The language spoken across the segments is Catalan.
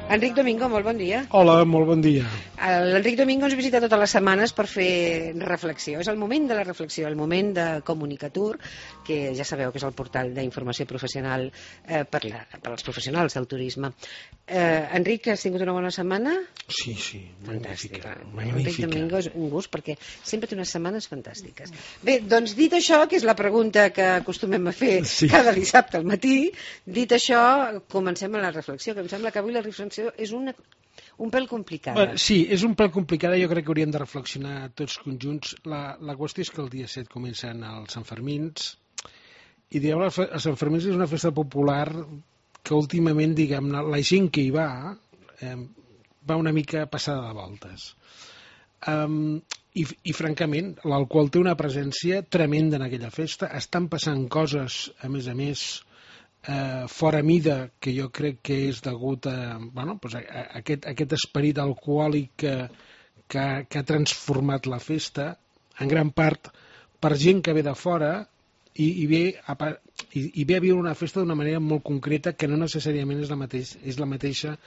Enric Domingo, molt bon dia. Hola, molt bon dia. L'Enric Domingo ens visita totes les setmanes per fer reflexió. És el moment de la reflexió, el moment de Comunicatur, que ja sabeu que és el portal d'informació professional per als professionals del turisme. Enric, has tingut una bona setmana? Sí, Fantàstica. magnífica. Enric Domingo és un gust perquè sempre té unes setmanes fantàstiques. Bé, doncs dit això, que és la pregunta que acostumem a fer cada dissabte al matí, dit això, comencem a la reflexió, que em sembla que avui la reflexió és un pèl complicada. Sí, és un pèl complicada, jo crec que hauríem de reflexionar tots conjunts. La qüestió és que el dia 7 comencen els Santfermins, i diguem, els Santfermins és una festa popular que últimament, diguem-ne, la gent que hi va una mica passada de voltes. I francament, l'alcohol té una presència tremenda en aquella festa. Estan passant coses, a més, fora mida, que jo crec que és degut a aquest esperit alcohòlic que ha transformat la festa, en gran part per gent que ve de fora i ve a viure una festa d'una manera molt concreta, que no necessàriament és la mateixa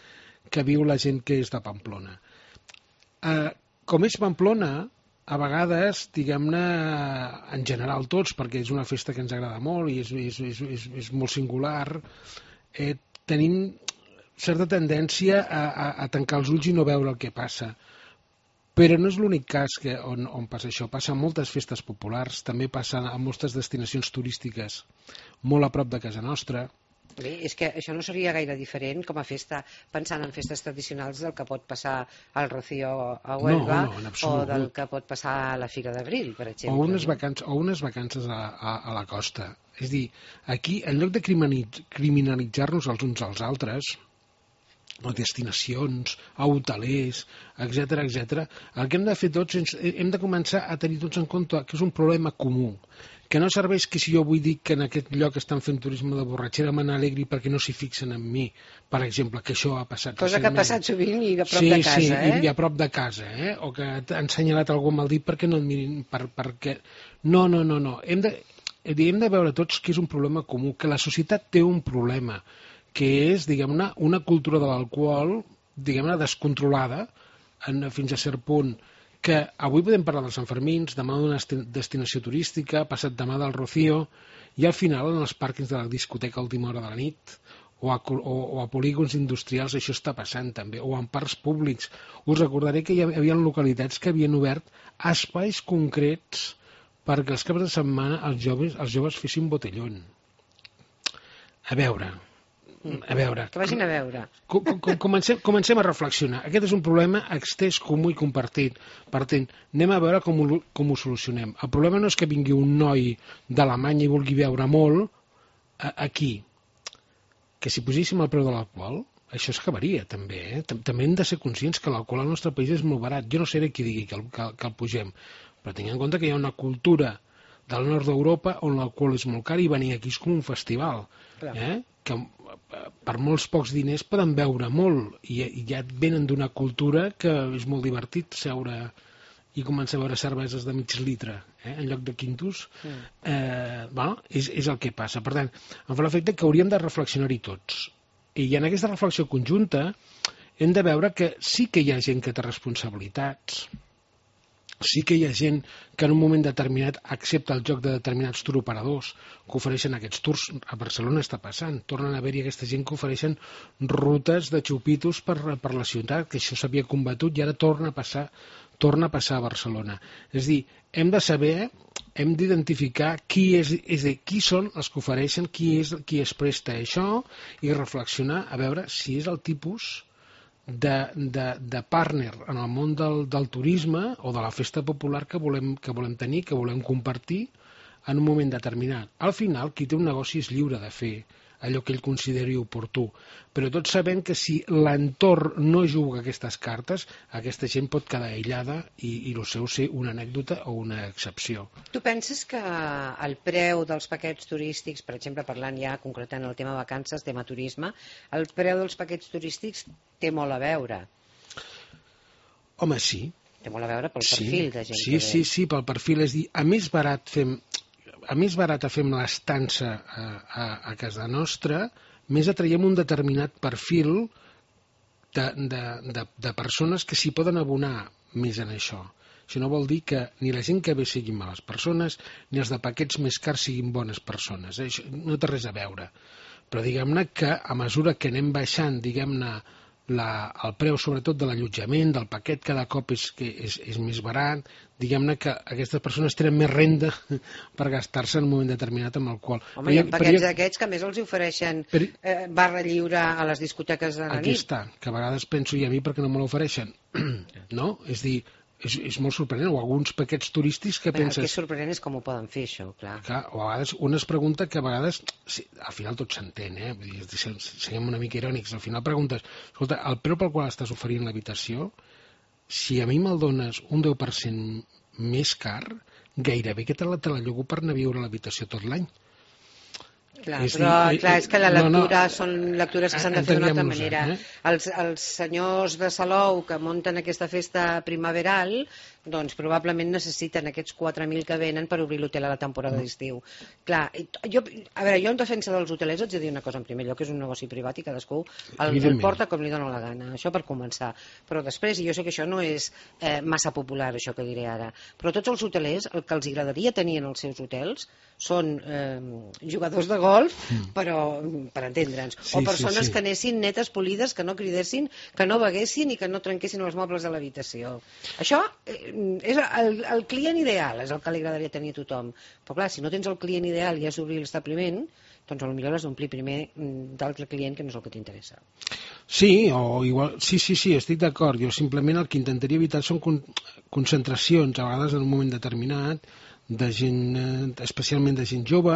que viu la gent que és de Pamplona. Com és Pamplona, a vegades, diguem-ne, en general tots, perquè és una festa que ens agrada molt i és molt singular, tenim certa tendència a tancar els ulls i no veure el que passa. Però no és l'únic cas on passa això. Passa a moltes festes populars, també passa a moltes destinacions turístiques molt a prop de casa nostra. Bé, és que això no seria gaire diferent com a festa, pensant en festes tradicionals del que pot passar al Rocío a Huelva, o del que pot passar a la Fira d'Abril, per exemple. O unes vacances a la costa. És a dir, aquí, en lloc de criminalitzar-nos els uns als altres, a destinacions, a hotelers, etc., el que hem de fer tots, hem de començar a tenir tots en compte que és un problema comú, que no serveix que si jo vull dir que en aquest lloc estan fent turisme de borratxera me n'alegri perquè no s'hi fixen en mi, per exemple, que això ha passat cosa que ha passat sovint i a prop de casa, i a prop de casa, o que han assenyalat algú amb el dit perquè no et mirin, perquè... No. Hem de veure tots que és un problema comú, que la societat té un problema, que és, diguem-ne, una cultura de l'alcohol, diguem-ne, descontrolada, fins a cert punt, que avui podem parlar dels Santfermins, demà d'una destinació turística, passat demà del Rocío, i al final en els pàrquings de la discoteca a última hora de la nit, o a polígons industrials això està passant també, o en parcs públics. Us recordaré que hi havia localitats que havien obert espais concrets perquè els caps de setmana els joves fessin botellón. A veure... Que vagin a veure. Comencem a reflexionar. Aquest és un problema extès, comú i compartit. Per tant, anem a veure com ho solucionem. El problema no és que vingui un noi d'Alemanya i vulgui beure molt aquí. Que si poséssim el preu de l'alcohol, això es acabaria també. També hem de ser conscients que l'alcohol al nostre país és molt barat. Jo no seré qui digui que el pugem, però tinguem en compte que hi ha una cultura del nord d'Europa on l'alcohol és molt car i venir aquí és com un festival. Que per molts pocs diners poden beure molt i ja venen d'una cultura que és molt divertit seure i començar a veure cerveses de mig litre en lloc de quintos. És el que passa. Per tant, em fa l'efecte que hauríem de reflexionar-hi tots, i en aquesta reflexió conjunta hem de veure que sí que hi ha gent que té responsabilitats, sí que hi ha gent que en un moment determinat accepta el joc de determinats touroperadors que ofereixen aquests tours. A Barcelona està passant, tornen a haver-hi aquesta gent que ofereixen rutes de xupitos per la ciutat, que això s'havia combatut i ara torna a passar a Barcelona. És a dir, hem de saber, hem d'identificar qui són els que ofereixen, qui es presta a això, i reflexionar a veure si és el tipus de partner en el món del turisme o de la festa popular que volem tenir, que volem compartir en un moment determinat. Al final, qui té un negoci és lliure de fer allò que ell consideri oportú, però tots sabem que si l'entorn no juga aquestes cartes, aquesta gent pot quedar aïllada i el seu ser una anècdota o una excepció. Tu penses que el preu dels paquets turístics, per exemple, parlant ja concretant el tema vacances, tema turisme, el preu dels paquets turístics té molt a veure? Home, sí. Té molt a veure pel perfil de gent que ve. Sí, pel perfil. És a dir, a més barata fem l'estança a casa nostra, més atraiem un determinat perfil de persones que s'hi poden abonar més en això. Això no vol dir que ni la gent que ve siguin males persones, ni els de paquets més cars siguin bones persones. Això no té res a veure. Però diguem-ne que a mesura que anem baixant, diguem-ne, el preu sobretot de l'allotjament, del paquet cada cop és més barat, diguem-ne que aquestes persones tenen més renda per gastar-se en un moment determinat amb el qual... Home, hi ha paquets d'aquests que a més els ofereixen barra lliure a les discoteques de la nit. Aquí està, que a vegades penso, i a mi per què no me l'ofereixen? No? És dir, és molt sorprenent, o alguns paquets turístics que penses... El que és sorprenent és com ho poden fer, això, clar. O a vegades un es pregunta que a vegades, al final tot s'entén, vull dir, siguem una mica irònics, al final preguntes, escolta, el preu pel qual estàs oferint l'habitació, si a mi me'l dones un 10% més car, gairebé que te la llogo per anar a viure a l'habitació tot l'any. Clar, és que la lectura són lectures que s'han de fer d'una altra manera. Els senyors de Salou que munten aquesta festa primaveral, doncs probablement necessiten aquests 4.000 que venen per obrir l'hotel a la temporada d'estiu. Clar, jo en defensa dels hotelers haig de dir una cosa, en primer lloc, que és un negoci privat i cadascú el porta com li dona la gana, això per començar. Però després, i jo sé que això no és massa popular, això que diré ara, però tots els hotelers, el que els agradaria tenir en els seus hotels són jugadors de golf, però per entendre'ns, o persones que anessin netes, polides, que no cridessin, que no beguessin i que no trenquessin els mobles de l'habitació. Això és el client ideal, és el que li agradaria tenir a tothom. Però clar, si no tens el client ideal i has d'obrir l'establiment, doncs potser l'has d'omplir primer d'altre client que no és el que t'interessa. Sí, o igual, sí, estic d'acord. Jo simplement el que intentaria evitar són concentracions, a vegades en un moment determinat, de gent, especialment de gent jove,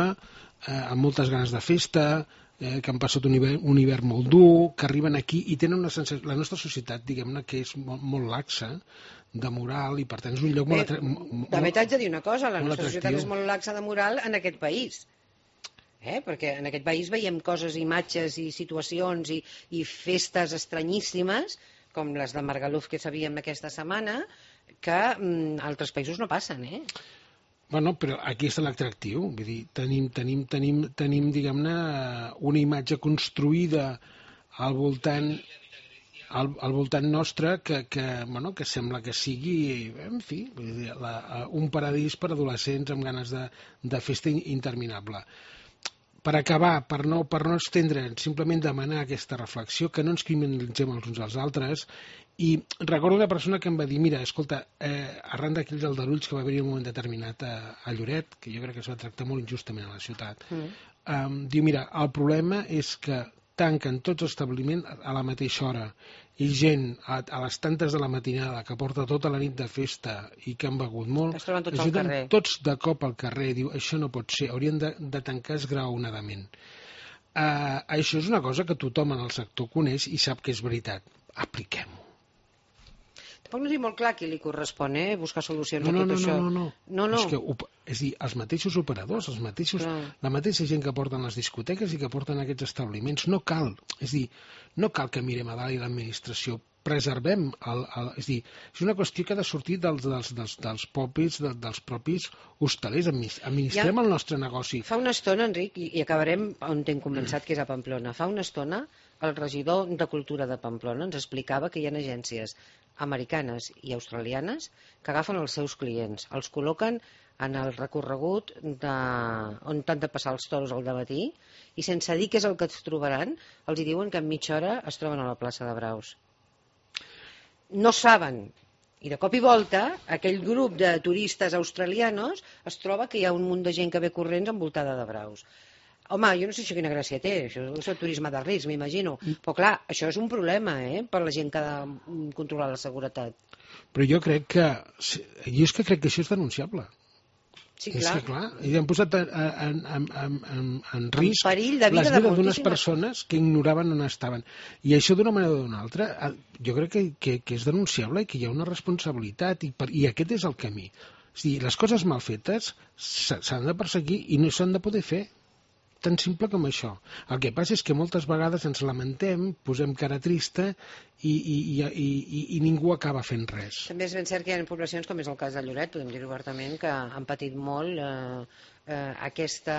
amb moltes ganes de festa, que han passat un hivern molt dur, que arriben aquí i tenen una sensació... La nostra societat, diguem-ne, que és molt laxa de moral i per tant és un lloc molt... També t'haig de dir una cosa, la nostra societat és molt laxa de moral en aquest país. Perquè en aquest país veiem coses, imatges i situacions i festes estranyíssimes, com les de Magaluf que sabíem aquesta setmana, que altres països no passen, Bueno, però aquí està l'atractiu, vull dir, tenim diguem-ne, una imatge construïda al voltant nostre que sembla que sigui, en fi, un paradís per adolescents amb ganes de festa interminable. Per acabar, per no estendre'ns, simplement demanar aquesta reflexió, que no ens criminalitzem els uns als altres. I recordo una persona que em va dir, mira, escolta, arran d'aquells aldarulls que va haver-hi en un moment determinat a Lloret, que jo crec que es va tractar molt injustament a la ciutat, diu, mira, el problema és que tanquen tots els establiments a la mateixa hora i gent a les tantes de la matinada que porta tota la nit de festa i que han begut molt, es troben tots al carrer. Tots de cop al carrer. Diu, això no pot ser, haurien de tancar esgraonadament. Això és una cosa que tothom en el sector coneix i sap que és veritat. Apliquem-ho. Tampoc no és molt clar qui li correspon, buscar solucions a tot això. No. És dir, els mateixos operadors, la mateixa gent que porten les discoteques i que porten aquests establiments, no cal. És dir, no cal que mirem a dalt i l'administració, preservem és dir, és una qüestió que ha de sortir dels propis hostalers, administrem el nostre negoci. Fa una estona, Enric, i acabarem on t'hem començat, que és a Pamplona, fa una estona el regidor de Cultura de Pamplona ens explicava que hi ha agències americanes i australianes que agafen els seus clients, els col·loquen en el recorregut on han de passar els toros al dematí i sense dir què és el que es trobaran, els hi diuen que en mitja hora es troben a la plaça de Braus. No saben, i de cop i volta aquell grup de turistes australianos es troba que hi ha un munt de gent que ve corrents envoltada de braus. Home, jo no sé això quina gràcia té, això és el turisme de risc, m'imagino. Però clar, això és un problema, per la gent que ha de controlar la seguretat. Però jo crec que això és denunciable. Sí, clar. És que clar, i han posat en risc la vida d'unes persones que ignoraven on estaven. I això d'una manera o d'una altra, jo crec que és denunciable i que hi ha una responsabilitat i aquest és el camí. És a dir, les coses mal fetes s'han de perseguir i no s'han de poder fer. tan simple com això. El que passa és que moltes vegades ens lamentem, posem cara trista i ningú acaba fent res. També és ben cert que hi ha poblacions, com és el cas de Lloret, podem dir obertament, que han patit molt aquest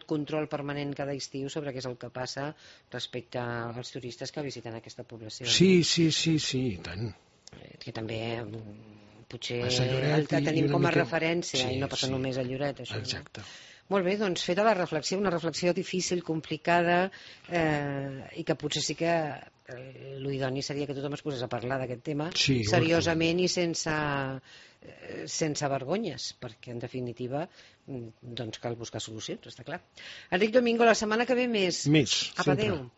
control permanent cada estiu sobre què és el que passa respecte als turistes que visiten aquesta població. Sí, i tant. Que també potser Lloret, el que tenim com a mica... referència i no passa només a Lloret, això. Exacte. Molt bé, doncs feta la reflexió, una reflexió difícil, complicada, i que potser sí que l'idoni seria que tothom es posés a parlar d'aquest tema seriosament i sense vergonyes, perquè en definitiva doncs cal buscar solucions, està clar. Enric Domingo, la setmana que ve més. Més, Apa, adéu.